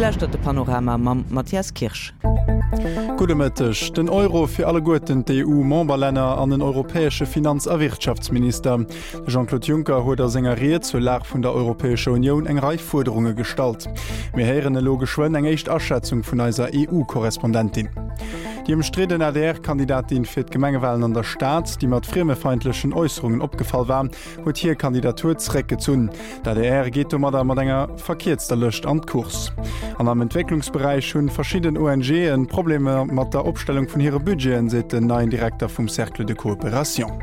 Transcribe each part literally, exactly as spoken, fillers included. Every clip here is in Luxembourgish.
Dir lauschtert de Panorama mam Mathias Kirsch. Gudde Mëtteg. Den Euro fir alleguerten d'EU-Memberlänner an en europäesche Finanz a Wirtschaftsminister. De Jean-Claude Juncker huet a senger Ried zur Lag vun der Europäescher Unioun eng Rei Fuerderunge gestallt. Mir héieren elo geschwënn eng éischt Aschätzung vun eiser EU-Korrespondentin. Déi ëmstridden ADR-Kandidatin fir d'Gemengewalen an der Stad, déi mat friemefeindlechen Äusserungen opgefall war, huet hir Kandidatur zeréckgezunn. D'ADR geet domadder mat enger verkierzter Lëscht an d'Course. An am Entwécklungsberäich hunn verschidden ONGen Problemer mat der Opstellung vun hire Budgeten, seet den neien Direkter vum Cercle de Coopération.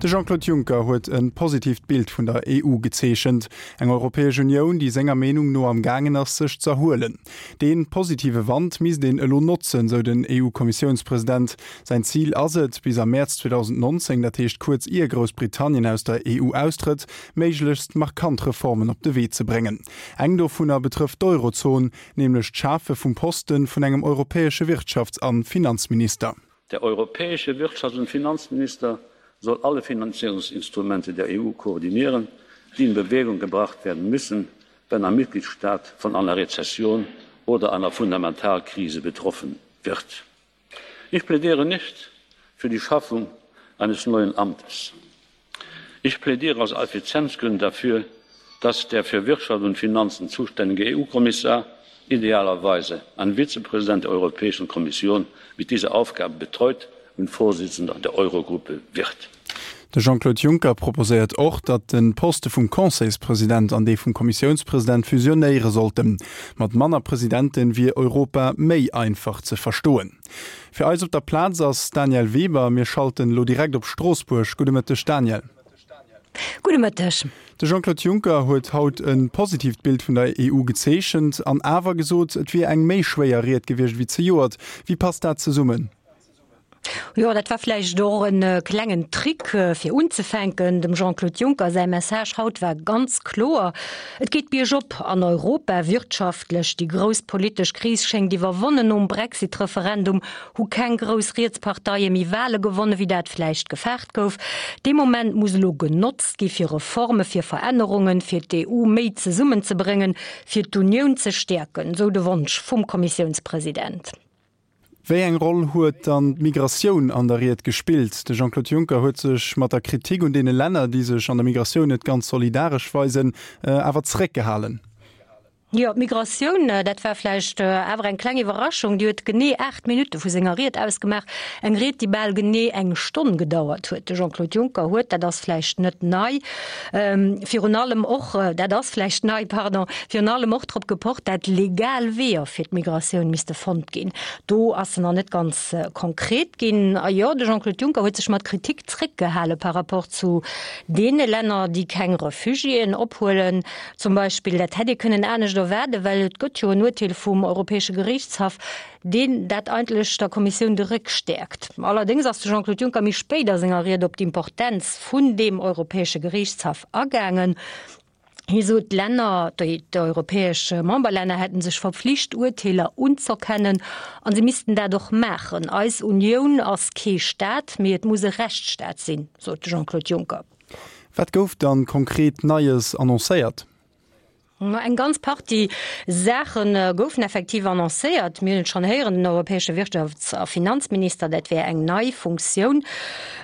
De Jean-Claude Juncker huet e positiivt Bild vun der EU gezeechent. Eng Europäesch Unioun, déi senger Meenung no am gaangen ass, sech z'erhuelen. Dee positive Wand misst een elo notzen, sou den EU-Kommissiounspresident. Säin Zil ass et, bis am Mäerz zweedausendnonzéng, dat heescht kuerz ier Groussbritannien aus der EU austrëtt, méiglechst markant Reformen op de Wee ze bréngen. Eng dovunner betrëfft d'Eurozon, nämlech d'Schafe vum Poste vun engem europäesche Wirtschafts a Finanzminister. Der europäesche Wirtschafts und Finanzminister soll alle Finanzierungsinstrumente der E U koordinieren, die in Bewegung gebracht werden müssen, wenn ein Mitgliedstaat von einer Rezession oder einer Fundamentalkrise betroffen wird. Ich plädiere nicht für die Schaffung eines neuen Amtes. Ich plädiere aus Effizienzgründen dafür, dass der für Wirtschaft und Finanzen zuständige E U-Kommissar, idealerweise ein Vizepräsident der Europäischen Kommission, mit dieser Aufgabe betreut und Vorsitzender der Eurogruppe wird. De Jean-Claude Juncker proposéiert och, datt de Poste vum Conseilspresident an dee vum Kommissiounspresident fusionéiere sollten. Mat manner Presidenten wier Europa méi einfach ze verstoen. Fir eis op der Plaz ass d'Danièle Weber. Mir schalten elo direkt op Stroossbuerg. Gudde Mëtteg, Danièle. Gudde Mëtteg. De Jean-Claude Juncker huet haut e positiivt Bild vun der E U gezeechent an awer gesot, et wier eng méi schwéier Ried gewiescht wéi zejoert. Wéi passt dat zesummen? Jo, dat war vläicht och en klengen Trick fir unzefänken. Dem Jean-Claude Juncker säi Message haut war ganz kloer. Et geet biergop an Europa wirtschaftlech. Déi grouss politesch Kris schéngt iwwerwonnen. Nom Brexit-Referendum hu keng grouss Rietsparteie méi Wale gewonnen, wéi dat vläicht gefaart gouf. Dee Moment muss elo genotzt gi fir Reforme, fir Verännerungen, fir d'E U méi zesummenzebréngen, fir d'Unioun ze stäerken, sou de Wonsch vum Kommissiounspresident. Wéi eng Roll huet dann d'Migratioun an der Ried gespillt? De Jean-Claude Juncker huet sech mat der Kritik un deene Länner, déi sech an der Migratioun net ganz solidaresch weisen, awer zeréckgehalen. Jo, d'Migratioun, dat war vläicht awer eng kleng Iwwerraschung. Déi huet genee aacht Minutte vu senger Ried ausgemaach. Eng Ried, déi bal genee eng Stonn gedauert huet. De Jean-Claude Juncker huet, dat ass vläicht net nei, virun allem och, dat ass vläicht nei, pardon, virun allem och drop gepocht, dat legal Weeër fir d'Migratioun misste fonnt ginn. Do ass se nach net ganz konkret ginn. A jo, de Jean-Claude Juncker huet sech mat Kritik zréckgehale par rapport zu deene Länner, déi keng Refugiéen ophuelen. Zum Beispill, dat hätt ee kënnen anescht erwaarden, well et gëtt jo en Urteel vum Europäesche Gerichtshaff, deen dat eigentlech der Kommissioun de Réck stäerkt. Allerdéngs ass de Jean-Claude Juncker méi spéit a senger Ried op d'Importenz vun deem Europäesche Gerichtshaff agaangen. Hie sot, d'Länner, déi d'europäesch Memberlänner hätten sech verpflicht, Urteeler unz'erkennen an se missten dat och maachen. Eis Unioun ass kee Staat, mee et muss e Rechtsstaat sinn, sot de Jean-Claude Juncker. Wat gouf dann konkret Neies annoncéiert? Ma eng ganz Partie Saachen goufen effektiv annoncéiert. Mir hunn et schonn héieren, den europäesche Wirtschafts- a Finanzminister, dat wär eng nei Funktioun.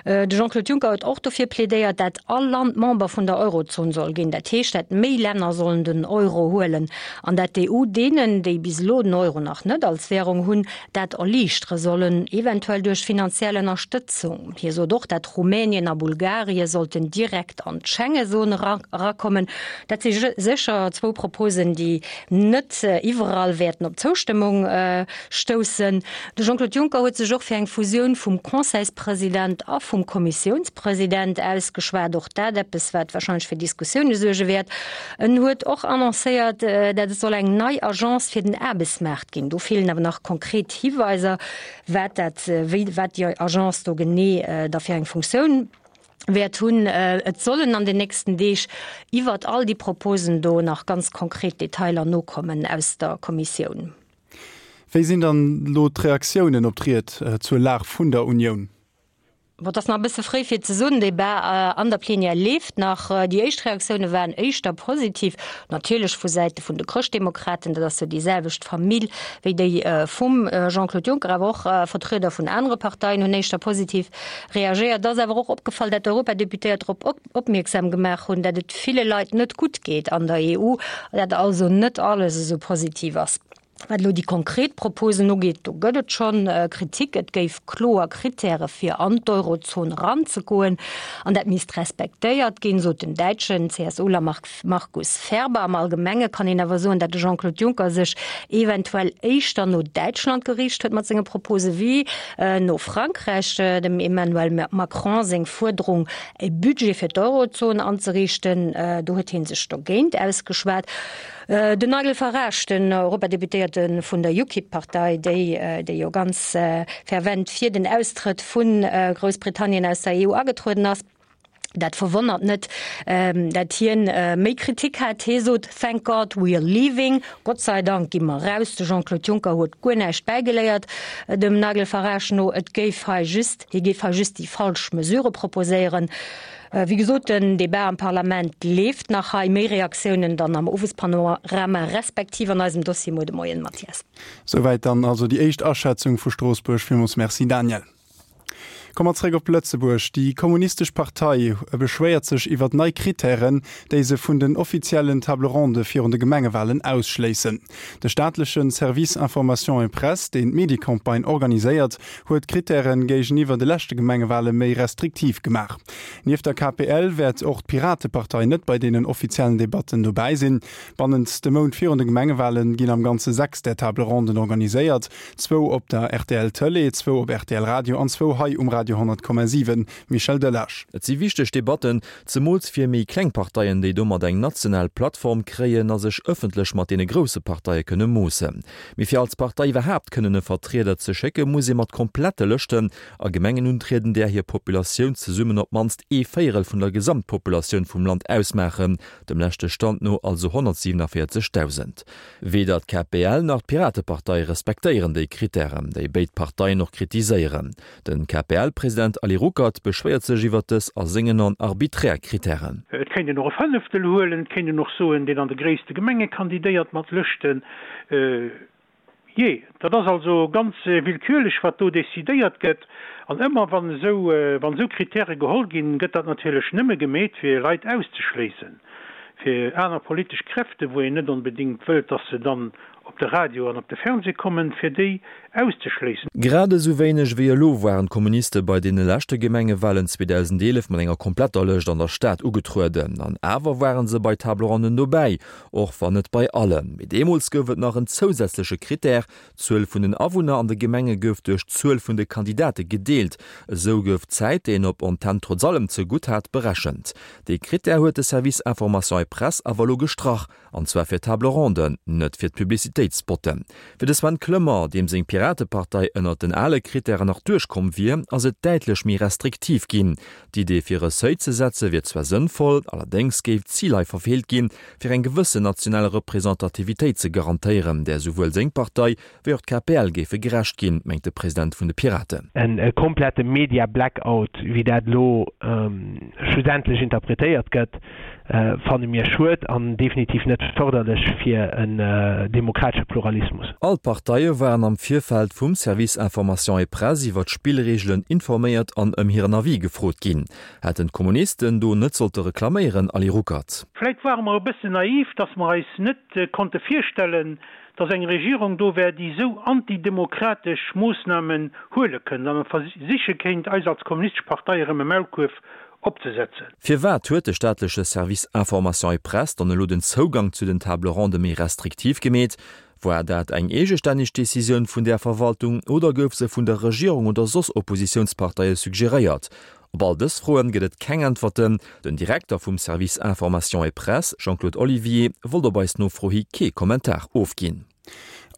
De Jean-Claude Juncker huet och dofir plädéiert, dat all Land Member vun der Eurozon soll ginn. Dat heescht, dat méi Länner sollen den Euro huelen an dat d'E U deenen, déi bis elo den Euro nach net als Währung hunn, dat erliichtere sollen, eventuell duerch finanziell Ënnerstëtzung. Hie sot och, dat Rumänien a Bulgarien sollten direkt an d'Schengenzon erakommen. Dat si sécher zwou Proposen, déi net iwwerall wäerten op Zoustëmmung stoussen. De Jean-Claude Juncker huet sech och fir eng Fusioun vum Conseilspresident a vum Kommissiounspresident ausgeschwat. Och dat eppes, wat wahrscheinlech fir Diskussioune suerge wäert. En huet och annoncéiert, dat et soll eng nei Agence fir den Aarbechtsmaart ginn. Do feelen awer nach konkret Hiweiser, wat dat, wéi, wat déi Agence do genee da fir eng Funktioun wäert hunn. Et sollen an den nächsten Deeg iwwert all déi Proposen do nach ganz konkret Detailer nokommen aus der Kommissioun. Wéi sinn dann elo d'Reaktiounen op d'Ried zur Lag vun der Unioun? Bon, et ass nach e bësse fréi fir ze soen. Den Debat an der Plenière leeft nach. Déi éischt Reaktioune waren éischter positiv, natierlech vu Säite vun de Chrëschtdemokraten, dat ass jo déi selwecht Famill wéi déi vum Jean-Claude Juncker, awer och Vertrieder vun anere Parteien hunn éischter positiv reagéiert. Et ass awer och opgefall, dat d'Europadeputéiert drop opmierksam gemaach hunn, dat et ville Leit net gutt geet an der E U, dat also net alles esou positiv ass. Wat elo déi konkret Proposen ugeet, do gëtt et schonn Kritik. Et géif kloer Krittäre fir an d'Eurozon eranzegoen an dat misst respektéiert ginn, sot den däitschen C S Uler Markus Ferber. Am Allgemenge kann een awer soen, datt de Jean-Claude Juncker sech eventuell éischter no Däitschland geriicht huet mat senge Propose wéi no Frankräich. Dem Emmanuel Macron seng Fuerderung, e Budget fir d'Eurozon anzeriichten, do huet hie sech dogéint ausgeschwat. Den Nigel Farage, den Europadeputéierte vun der UKIP-Partei, déi déi jo ganz fervent fir den Austrëtt vu Groussbritannien aus der E U agetrueden ass, dat verwonnert net, dat hien méi Kritik hat. Hie sot, Thank God we are leaving, Gott sei Dank gi mer raus. De Jean-Claude Juncker huet guer näischt bäigeléiert, dem Nigel Farage no. Et géif hei just, hie géif hei just déi falsch Mesure proposéieren. Wéi gesot, den Debat am Parlament leeft nach hei. Méi Reaktiounen dann am Owespanorama respektiv an eisem Dossier muer de Moien, Mathias. Souwäit dann also déi éischt Aschätzung vu Stroossbuerg. Villmools Merci, Danièle. Komme mer zréck op Lëtzebuerg. Déi Kommunistesch Partei beschwéiert sech iwwer nei Krittären, déi se vun den offiziellen Table Ronde virun de Gemengewalen ausschléissen. De staatleche Service Information et Presse, deen d'Mediecampagne organiséiert, huet d'Krittäre géigeniwwer de leschte Gemengewale méi restriktiv gemaach. Nieft der K P L wäert och d'Piratepartei net bei deenen offiziellen Debatten dobäi sinn. Bannent de Mount virun de Gemengewale ginn am Ganze sechs där Table Ronden organiséiert, zwou op der R T L Tëlee, zwou op R T L Radio an zwou hei um Radio honnert Komma siwen. Michel Delage. Et si wichteg Debatten, zemools fir méi kleng Parteien, déi domat eng national Plattform kréien a sech ëffentlech mat deene grousse Parteie kënne moossen. Mee fir als Partei iwwerhaapt kënnen e Vertrieder ze schécke muss ee mat komplette Lëschten a Gemengen untrieden, där hir Populatioun zesummen op d'mannst ee Véierel vun der Gesamtpopulatioun vum Land ausmaachen, dem leschte Stand no also honnertsiewenevéierzegdausend. Weder d'K P L nach d'Piratepartei respektéieren déi Krittären, déi béid Parteien och kritiséieren. Den K P L-President Ali Ruckert beschwéiert sech iwwer dës a sengen Aen arbiträr Krittären. Et kéint een och e Fënneftel huelen, et kéint een och soen, deen an de gréisste Gemenge kandidéiert mat Lëschten. Jee, dat ass also ganz willkürlech, wat do decidéiert gëtt. An ëmmer wann esou, wann esou Krittäre geholl ginn, gëtt dat natierlech nëmme gemeet, fir Leit auszeschléissen, fir aner politesch Kräfte, wou een net onbedéngt wëllt, dass se dann op de Radio an op de Fernseh kommen, fir déi auszeschléissen. Grad esou wéineg wéi elo waren d'Kommuniste bei deene leschte Gemengewalen zweedausendeelef mat enger kompletter Lëscht an der Stad ugetrueden. An awer waren se bei Table Ronden dobäi, och wann net bei allen. Mee deemools gouf et nach en zousätzleche Krittär, D'Zuel vun den Awunner an de Gemenge gouf duerch d'Zuel vun de Kandidate gedeelt. Esou gouf d'Zäit, déi een op Antenn trotz allem zegutt hat, berechent. Dee Krittär huet de Service Information et Presse awer elo gestrach, an zwar fir Table Ronden, net fir d'Publicitéitsspotten. Fir de Sven Clement, deem seng Piratepartei ënnert den ale Krittären nach duerchkomm wier, ass et däitlech méi restriktiv ginn. D'Idee fir e Seuil ze setze wier zwar sënnvoll, allerdéngs géif d'Zil hei verfeelt ginn, fir eng gewëssen national Representativitéit ze garantéieren, där souwuel seng Partei wéi och d'K P L géife gerecht ginn, mengt de President vun de Piraten. E komplette Media-Blackout, wéi dat elo schlussendlech interpretéiert gëtt, fanne mir schued an definitiv net fërderlech fir en demokratesche Pluralismus. All d'Parteie waren am Virfeld vum Service Information et Presse iwwer d'Spillreegelen informéiert an ëm hiren Avis gefrot ginn. Hätten d'Kommunisten do net sollte reklaméieren, Ali Ruckert? Vläit ware mer e bëssen naiv, dass mer eis net konnte virstellen, dass eng Regierung do wär, déi esou antidemokratesch Moossnamen huele kënnt an versiche kéint, eis als Kommunistesch Partei erëm e Maulkuerf opzesetzen. Firwat huet de staatleche Service Information et Presse dann elo den Zougang zu den Table Ronde méi restriktiv gemeet? War dat eng eegestänneg Decisioun vun der Verwaltung oder gouf se vun der Regierung oder soss Oppositiounsparteie suggeréiert? Op all dës Froen gëtt et keng Äntwerten. Den Direkter vum Service Information et Presse, Jean-Claude Olivier, wollt op eis Nofro hi kee Kommentar ofginn.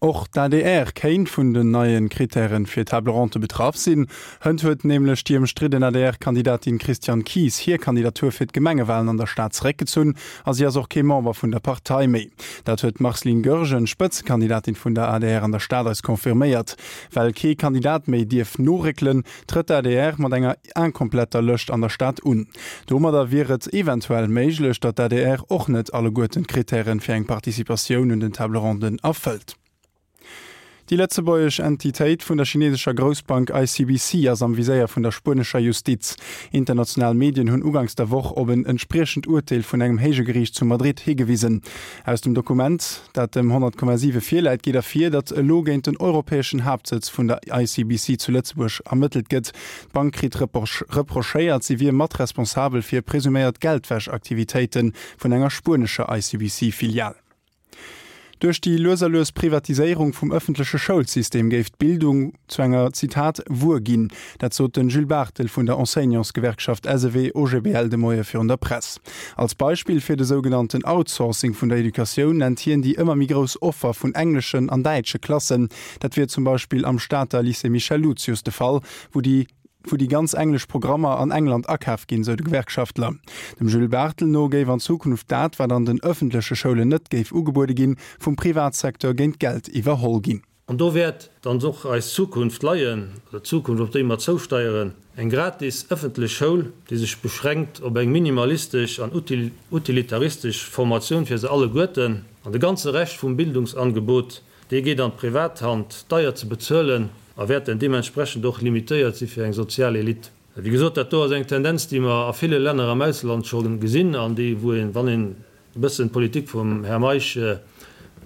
Och d'ADR kéint vun den neie Krittäre fir Table-ronde betraff sinn. Hënt huet nämlech déi ëmstridden ADR-Kandidatin Christiane Kies hir Kandidatur fir d'Gemengewalen an der Stad zeréckgezunn a si ass och kee Member vun der Partei méi. Dat huet d'Marceline Goergen, Spëtzekandidatin vun der adr an der Stad eis confirméiert. Well kee Kandidat méi dierf noréckelen, trëtt d'ADR mat enger inkompletter Lëscht an der Stad un. Domadder wier et eventuell méiglech, datt d'ADR och net alleguerten d'Krittäre fir eng Participatioun un den Table-ronden erfëllt. Déi lëtzebuergesch Entitéit vun der chinesescher Groussbank ICBC ass am Viséier vun der spuenescher Justiz. International Medien hunn uganks der Woch op en entspriechend Urteel vun engem héije Geriicht zu Madrid higewisen. Aus dem Dokument, dat dem honnert Komma siwe virläit, geet ervir, datt elo géint den europäeschen Haaptsëtz vun der ICBC zu Lëtzebuerg ermëttelt gëtt. D'Bank kritt reprochéiert, si wier mat responsabel fir presuméiert Geldwäschaktivitéite vun enger spuenescher ICBC-Filial. Duerch déi lues a lues Privatiséierung vum ëffentleche Schoulsystem géif d'Bildung zu enger, Zitat, Wuer ginn. Dat sot den Jules Barthel vun der Enseignantsgewerkschaft SEW-OGBL de Moie virun der Press. Als Beispill fir de sougenannten Outsourcing vun der Educatioun nennt hien déi ëmmer méi grouss Offer vun engleschen an däitsche Klassen. Dat wier zum Beispill am Stater Lycée Michel Lucius de Fall, wou déi wou déi ganz englesch Programmer an England akaf ginn, sou de Gewerkschaftler. Dem Jules Barthel no géif an Zukunft dat, wat an den ëffentleche Schoulen net géif ugebuede ginn, vum Privatsecteur géint Geld iwwerholl ginn. An do wäert dann och eis Zukunft leien, oder d'Zukunft, op déi mer zousteieren, eng gratis ëffentlech Schoul, déi sech beschränkt op eng minimalistesch an utilitaristesch Formatioun fir se alleguerten, an de ganze Rescht vum Bildungsangebot, dee geet an d'Privathand, deier ze bezuelen, a wäert dann deementsprechend och limitéiert si fir eng sozial Elite. Wéi gesot, dat do ass eng Tendenz, déi mer a ville Länner am Ausland scho gesinn an déi, wou een, wann een e bëssen d'Politik vum Här Meisch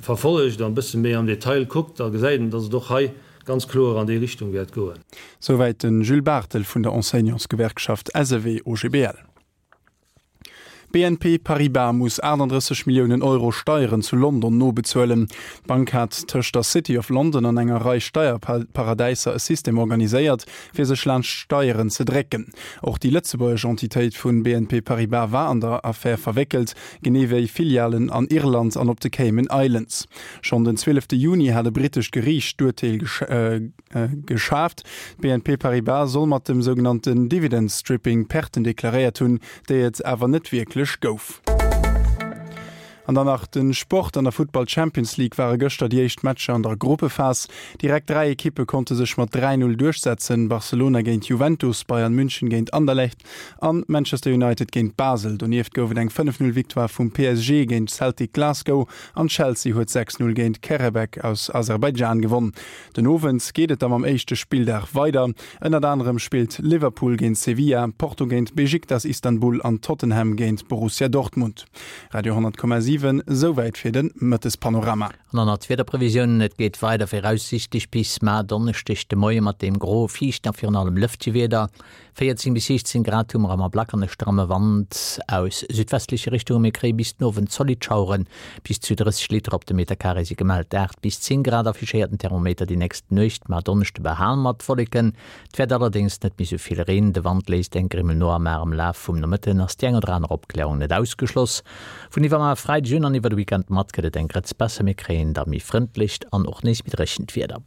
verfollegt an e bësse méi am Detail kuckt, da gesäit een, datt et och hei ganz kloer an déi Richtung wäert goen. Souwäit de Jules Barthel vun der Enseignantsgewerkschaft SEW-OGBL. B N P Paribas muss aachtanddrësseg Milliounen Euro Steieren zu London nobezuelen. D'Bank hat tëscht der City of London an enger Rei Steierparadäiser e System organiséiert, fir sech laanscht d'Steieren ze drécken. Och déi lëtzebuergesch Entitéit vu B N P Paribas war an der Affär verwéckelt, genee wéi Filialen an Irland an op de Cayman Islands. Schonn den zwielefte Juni hat e brittescht Geriicht d'Urteel geschaaft. B N P Paribas soll mat dem sougenannten Dividend Stripping Perten deklaréiert hunn, déi et awer net wierklech gouf. An dann nach de Sport, An der Futtball Champions League ware gëschter déi éischt Matcher an der Gruppephas. Direkt dräi Ekippe konnte sech mat dräi Null duerchsetzen, Barcelona géint Juventus, Bayern München géint Anderlecht an Manchester United géint Basel. Donieft gouf et eng fënnef Null Victoire vum P S G géint Celtic Glasgow an Chelsea huet sechs Null géint Qarabag aus Aserbaidschan gewonn. Den Owend geet et da mam éischte Spilldag weider. Ënnert anerem spillt Liverpool géint Sevilla, Porto géint Besiktas Istanbul an Tottenham géint Borussia Dortmund. Radio honnert Komma siwen, Souwäit fir de Mëttespanorama. An dann nach d'Wiederprevisiounen, Et geet weider viraussiichtlech bis mar Donneschdeg de Moie mat deem gro, fiichten a virun allem lëftege Wieder. véierzéng bis siechzéng Grad hu mer am Ablack an e stramme Wand aus südwestleche Richtunge. Mir kréie bis den Owend zolidd Schaueren, bis zu drësseg Liter op de Meterkaree si gemellt. Aacht bis zéng Grad affichéiert den Thermometer déi nächst Nuecht. Mar Donneschde behale mer d'Wolleken, et wäert allerdéngs net méi sou vill Reen. De Wand léisst eng Grimmel no a mar am Laf vum Nomëtten ass déi eng oder aner Opklärung net ausgeschloss. Vun iwwermar Freideg un an iwwer de Weekend mat gëtt et eng Grëtz besser, mir kréien da méi frëndlecht an och nees méi dréchent Wieder.